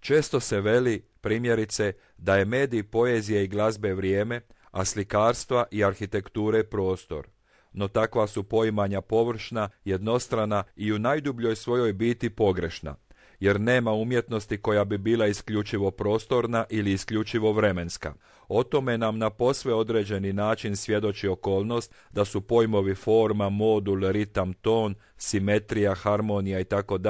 Često se veli, primjerice, da je medij poezije i glazbe vrijeme, a slikarstva i arhitekture prostor. No takva su poimanja površna, jednostrana i u najdubljoj svojoj biti pogrešna, jer nema umjetnosti koja bi bila isključivo prostorna ili isključivo vremenska. O tome nam na posve određeni način svjedoči okolnost da su pojmovi forma, modul, ritam, ton, simetrija, harmonija itd.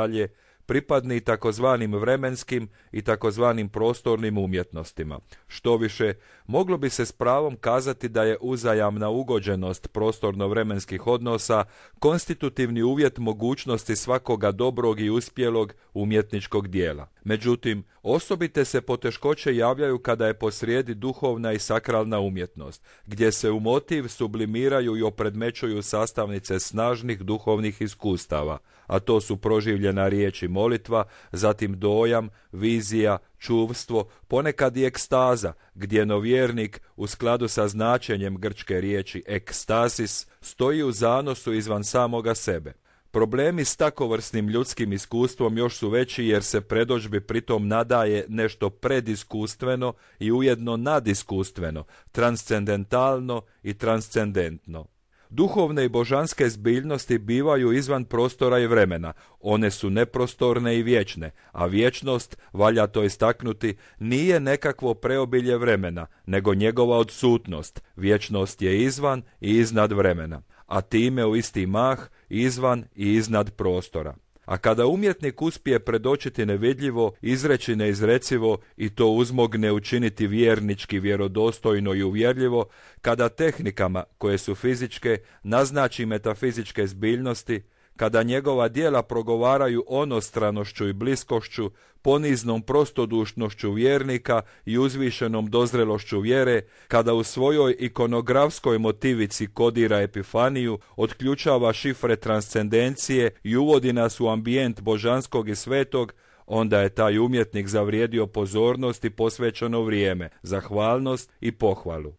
Pripadni takozvanim vremenskim i takozvanim prostornim umjetnostima. Štoviše, moglo bi se s pravom kazati da je uzajamna ugođenost prostorno-vremenskih odnosa konstitutivni uvjet mogućnosti svakoga dobrog i uspjelog umjetničkog dijela. Međutim, osobite se poteškoće javljaju kada je posrijedi duhovna i sakralna umjetnost, gdje se u motiv sublimiraju i opredmećuju sastavnice snažnih duhovnih iskustava, a to su proživljena riječ i molitva, zatim dojam, vizija, čuvstvo, ponekad i ekstaza, gdje novjernik u skladu sa značenjem grčke riječi ekstasis stoji u zanosu izvan samoga sebe. Problemi s takovrsnim ljudskim iskustvom još su veći jer se predodžbi pritom nadaje nešto prediskustveno i ujedno nadiskustveno, transcendentalno i transcendentno. Duhovne i božanske zbiljnosti bivaju izvan prostora i vremena, one su neprostorne i vječne, a vječnost, valja to istaknuti, nije nekakvo preobilje vremena, nego njegova odsutnost. Vječnost je izvan i iznad vremena, a time u isti mah izvan i iznad prostora. A kada umjetnik uspije predočiti nevidljivo, izreći neizrecivo i to uzmogne učiniti vjernički, vjerodostojno i uvjerljivo, kada tehnikama, koje su fizičke, naznači metafizičke zbiljnosti, kada njegova djela progovaraju onostranošću i bliskošću, poniznom prostodušnošću vjernika i uzvišenom dozrelošću vjere, kada u svojoj ikonografskoj motivici kodira epifaniju, otključava šifre transcendencije i uvodi nas u ambijent božanskog i svetog, onda je taj umjetnik zavrijedio pozornost i posvećeno vrijeme, zahvalnost i pohvalu.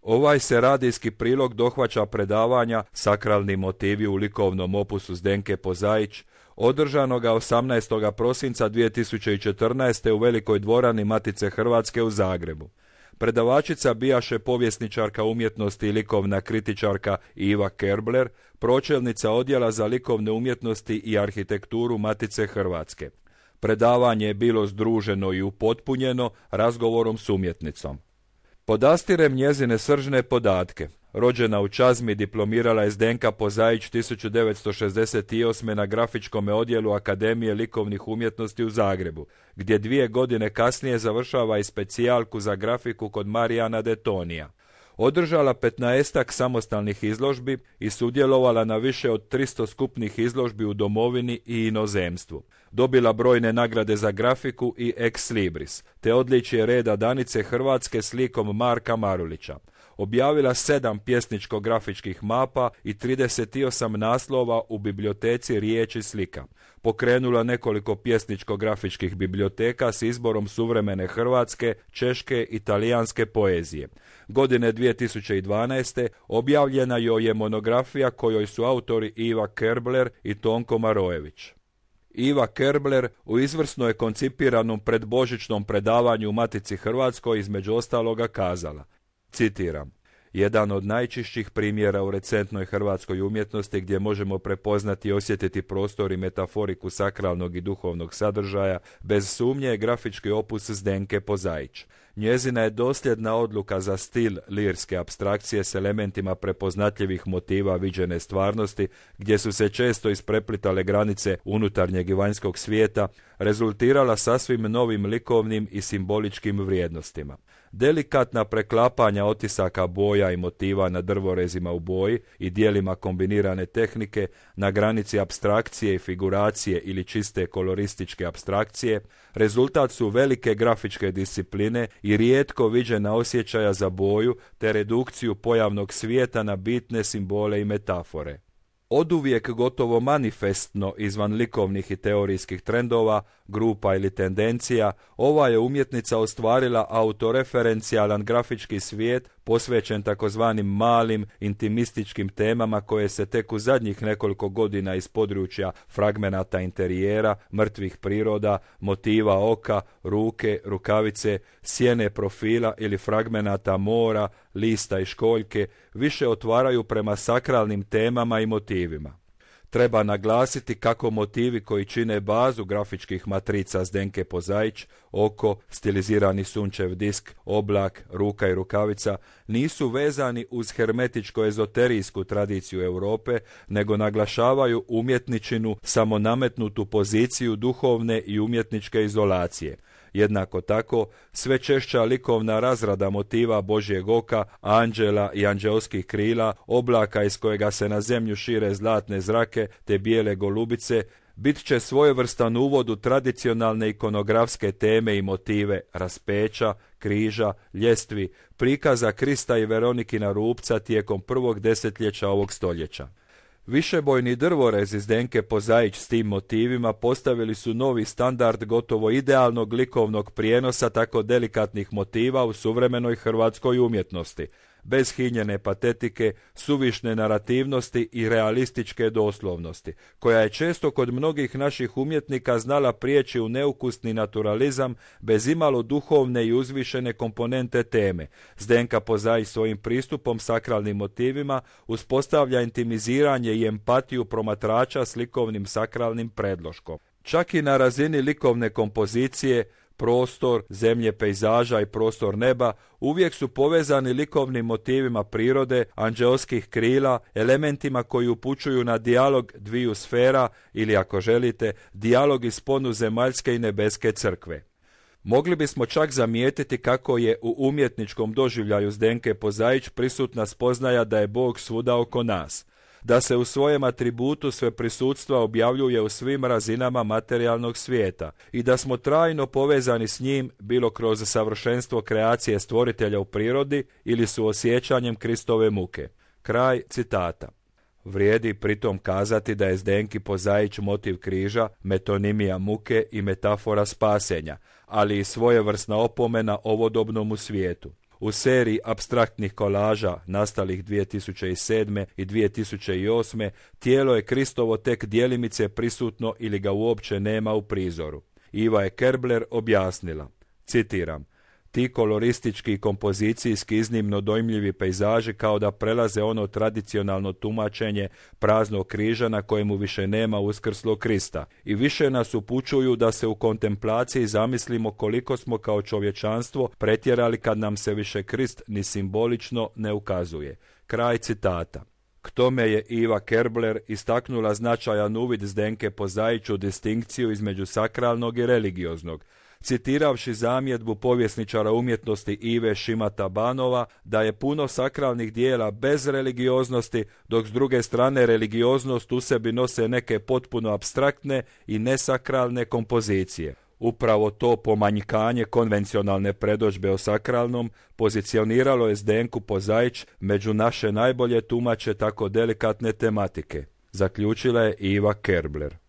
Ovaj se radijski prilog dohvaća predavanja Sakralni motivi u likovnom opusu Zdenke Pozaić, održanoga 18. prosinca 2014. u Velikoj dvorani Matice Hrvatske u Zagrebu. Predavačica bijaše povjesničarka umjetnosti i likovna kritičarka Iva Kerbler, pročelnica odjela za likovne umjetnosti i arhitekturu Matice Hrvatske. Predavanje je bilo združeno i upotpunjeno razgovorom s umjetnicom. Podastirem njezine sržne podatke. Rođena u Čazmi, diplomirala je Zdenka Pozaić 1968. na grafičkom odjelu Akademije likovnih umjetnosti u Zagrebu, gdje 2 godine kasnije završava i specijalku za grafiku kod Marijana Detonija. Održala 15-ak samostalnih izložbi i sudjelovala na više od 300 skupnih izložbi u domovini i inozemstvu. Dobila brojne nagrade za grafiku i ex libris, te odličje reda Danice Hrvatske s likom Marka Marulića. Objavila 7 pjesničko-grafičkih mapa i 38 naslova u biblioteci riječi slika. Pokrenula nekoliko pjesničko-grafičkih biblioteka s izborom suvremene hrvatske, češke i talijanske poezije. Godine 2012. objavljena joj je monografija kojoj su autori Iva Kerbler i Tonko Marojević. Iva Kerbler u izvrsno je koncipiranom predbožićnom predavanju u Matici Hrvatskoj između ostaloga kazala, citiram: jedan od najčišćih primjera u recentnoj hrvatskoj umjetnosti gdje možemo prepoznati i osjetiti prostor i metaforiku sakralnog i duhovnog sadržaja, bez sumnje je grafički opus Zdenke Pozaić. Njezina je dosljedna odluka za stil lirske apstrakcije s elementima prepoznatljivih motiva viđene stvarnosti, gdje su se često ispreplitale granice unutarnjeg i vanjskog svijeta, rezultirala sasvim novim likovnim i simboličkim vrijednostima. Delikatna preklapanja otisaka boja i motiva na drvorezima u boji i dijelima kombinirane tehnike na granici apstrakcije i figuracije ili čiste kolorističke apstrakcije rezultat su velike grafičke discipline i rijetko viđena osjećaja za boju te redukciju pojavnog svijeta na bitne simbole i metafore. Oduvijek gotovo manifestno izvan likovnih i teorijskih trendova, grupa ili tendencija, ova je umjetnica ostvarila autoreferencijalan grafički svijet posvećen takozvanim malim, intimističkim temama koje se tek u zadnjih nekoliko godina iz područja fragmenata interijera, mrtvih priroda, motiva oka, ruke, rukavice, sjene profila ili fragmenata mora, lista i školjke više otvaraju prema sakralnim temama i motivima. Treba naglasiti kako motivi koji čine bazu grafičkih matrica Zdenke Pozaić, oko, stilizirani sunčev disk, oblak, ruka i rukavica, nisu vezani uz hermetičko-ezoterijsku tradiciju Europe, nego naglašavaju umjetničinu samonametnutu poziciju duhovne i umjetničke izolacije. Jednako tako, sve češća likovna razrada motiva Božjeg oka, anđela i anđeoskih krila, oblaka iz kojega se na zemlju šire zlatne zrake te bijele golubice, bit će svojevrstan uvod u tradicionalne ikonografske teme i motive raspeća, križa, ljestvi, prikaza Krista i Veronikina rupca tijekom prvog desetljeća ovog stoljeća. Višebojni drvorezi Zdenke Pozaić s tim motivima postavili su novi standard gotovo idealnog likovnog prijenosa tako delikatnih motiva u suvremenoj hrvatskoj umjetnosti, bez hinjene patetike, suvišne narativnosti i realističke doslovnosti, koja je često kod mnogih naših umjetnika znala prijeći u neukusni naturalizam bez imalo duhovne i uzvišene komponente teme. Zdenka Pozaić svojim pristupom sakralnim motivima uspostavlja intimiziranje i empatiju promatrača s likovnim sakralnim predloškom. Čak i na razini likovne kompozicije, prostor, zemlje pejzaža i prostor neba uvijek su povezani likovnim motivima prirode, anđeoskih krila, elementima koji upućuju na dijalog dviju sfera ili, ako želite, dijalog iz sponu zemaljske i nebeske crkve. Mogli bismo čak zamijetiti kako je u umjetničkom doživljaju Zdenke Pozaić prisutna spoznaja da je Bog svuda oko nas, da se u svojem atributu sveprisutstva objavljuje u svim razinama materijalnog svijeta i da smo trajno povezani s njim bilo kroz savršenstvo kreacije stvoritelja u prirodi ili suosjećanjem Kristove muke. Kraj citata. Vrijedi pritom kazati da je Zdenki Pozaić motiv križa, metonimija muke i metafora spasenja, ali i svojevrsna opomena ovodobnom svijetu. U seriji apstraktnih kolaža nastalih 2007. i 2008. tijelo je Kristovo tek djelimice prisutno ili ga uopće nema u prizoru. Iva je Kerbler objasnila, citiram, ti koloristički i kompozicijski iznimno dojmljivi pejzaži kao da prelaze ono tradicionalno tumačenje praznog križa na kojemu više nema uskrslog Krista i više nas upućuju da se u kontemplaciji zamislimo koliko smo kao čovječanstvo pretjerali kad nam se više Krist ni simbolično ne ukazuje. Kraj citata. K tome je Iva Kerbler istaknula značajan uvid Zdenke Pozaić u distinkciju između sakralnog i religioznog, citiravši zamjedbu povjesničara umjetnosti Ive Šimata Banova da je puno sakralnih dijela bez religioznosti, dok s druge strane religioznost u sebi nose neke potpuno apstraktne i nesakralne kompozicije. Upravo to pomanjkanje konvencionalne predodžbe o sakralnom pozicioniralo je Zdenku Pozaić među naše najbolje tumače tako delikatne tematike, zaključila je Iva Kerbler.